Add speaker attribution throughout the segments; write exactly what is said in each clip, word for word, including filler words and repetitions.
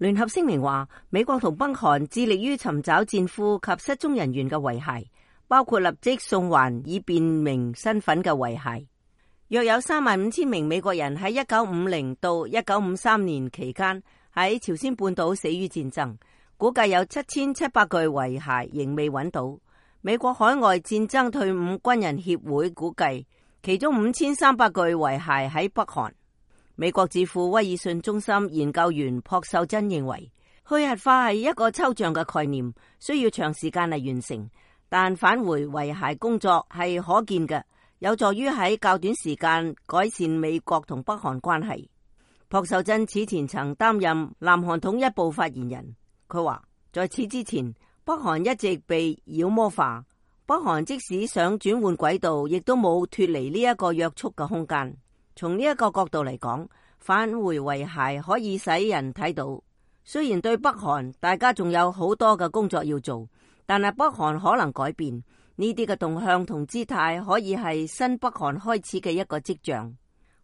Speaker 1: 聯合聲明話，美國同北韓致力於尋找戰俘及失蹤人員嘅遺骸，包括立即送還以辨明身份嘅遺骸。約有三萬五千名美國人喺一九五零到一九五三年期間喺朝鮮半島死於戰爭，估計有七千七百具遺骸仍未揾到。美國海外戰爭退伍軍人協會估計，其中五千三百具遺骸喺北韓。美國智庫威爾遜中心研究員朴秀珍認為，去核化係一個抽象嘅概念，需要長時間嚟完成，但返回遺骸工作係可見嘅，有助於喺較短時間改善美國同北韓關係。朴秀珍此前曾擔任南韓統一部發言人，佢話在此之前，北韓一直被妖魔化，北韓即使想轉換軌道，亦都冇脫離呢一個約束嘅空間。從呢一個角度嚟講，返回遺骸可以使人睇到，雖然對北韓大家仲有好多嘅工作要做，但係北韓可能改變，呢啲嘅動向同姿態可以係新北韓開始嘅一個跡象。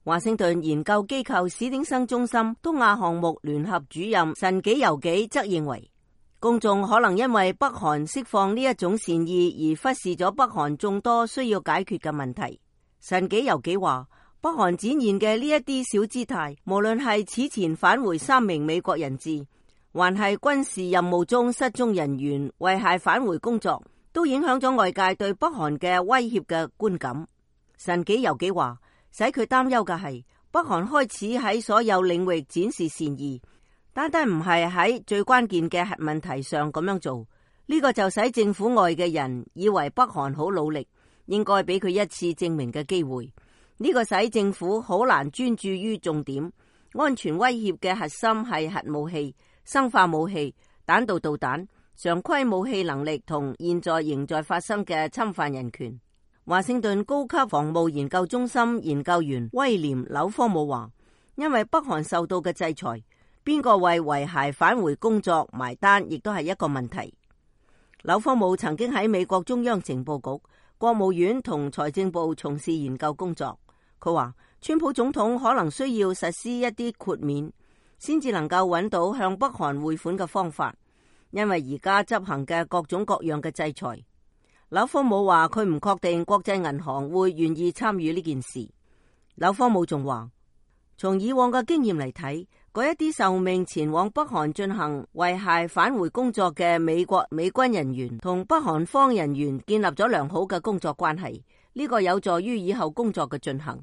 Speaker 1: 華盛頓研究機構史丁生中心東亞項目聯合主任神紀由紀則認為，公眾可能因為北韓釋放呢一種善意而忽視咗北韓眾多需要解決嘅問題。神紀由紀話，北韓展現嘅呢一啲小姿態，無論係此前返回三名美國人質，還係軍事任務中失蹤人員遺骸返回工作，都影響咗外界對北韓嘅威脅嘅觀感。神紀由紀話，使佢擔憂嘅係北韓開始喺所有領域展示善意，單單唔係喺最關鍵嘅核問題上咁樣做，呢個就使政府外嘅人以為北韓好努力，應該俾佢一次證明嘅機會。呢個使政府好難專注於重點，安全威脅嘅核心係核武器、生化武器、彈道導彈、常規武器能力同現在仍在發生嘅侵犯人權。華盛頓高級防務研究中心研究員威廉紐科姆話，因為北韓受到嘅制裁，邊個為遺骸返回工作埋單亦都係一個問題。紐科姆曾經喺美國中央情報局、國務院同財政部從事研究工作。佢話川普總統可能需要實施一啲豁免，先至能夠揾到向北韓匯款嘅方法，因為而家執行嘅各種各樣嘅制裁。紐科姆話佢唔確定國際銀行會願意參與呢件事。紐科姆仲話，從以往嘅經驗嚟睇，嗰一啲受命前往北韓進行遺骸返回工作嘅美國美軍人員同北韓方人員建立咗良好嘅工作關係，呢個有助於以後工作嘅進行。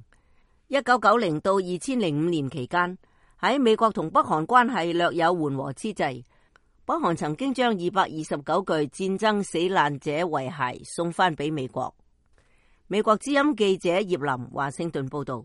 Speaker 1: 一九九零到二千零五年期間，喺美國同北韓關係略有緩和之際，北韓曾經將二百二十九具戰爭死難者遺骸送翻俾美國。美國之音記者葉林華盛頓報道。